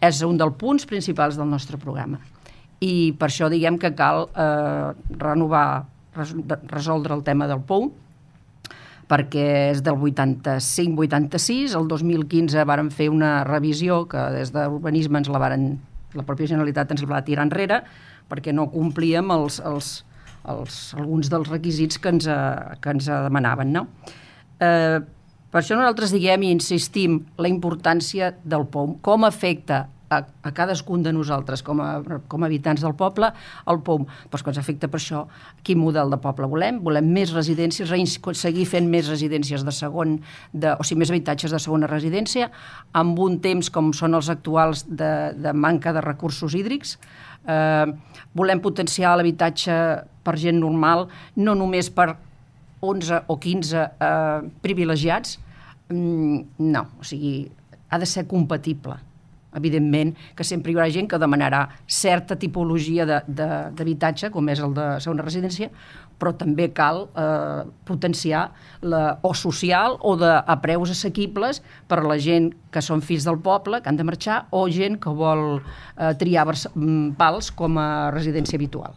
és un dels punts principals del nostre programa. I per això diguem que cal resoldre el tema del POU, perquè és del 85-86, el 2015 vàrem fer una revisió que des d'Urbanisme la pròpia Generalitat ens la va tirar enrere, perquè no complíem alguns dels requisits que ens demanaven, no? Per això nosaltres diguem i insistim la importància del POU, com afecta a cadascun de nosaltres com a habitants del poble el POU, doncs que ens afecta per això quin model de poble volem més residències, seguir fent més residències de segon, o sigui, més habitatges de segona residència, amb un temps com són els actuals de manca de recursos hídrics. Volem potenciar l'habitatge per gent normal, no només per 11 o 15 privilegiats, no, o sigui, ha de ser compatible. Evidentment que sempre hi haurà gent que demanarà certa tipologia d'habitatge, com és el de segona residència, però també cal potenciar o social o a preus assequibles per a la gent que són fills del poble, que han de marxar, o gent que vol triar Pals com a residència habitual.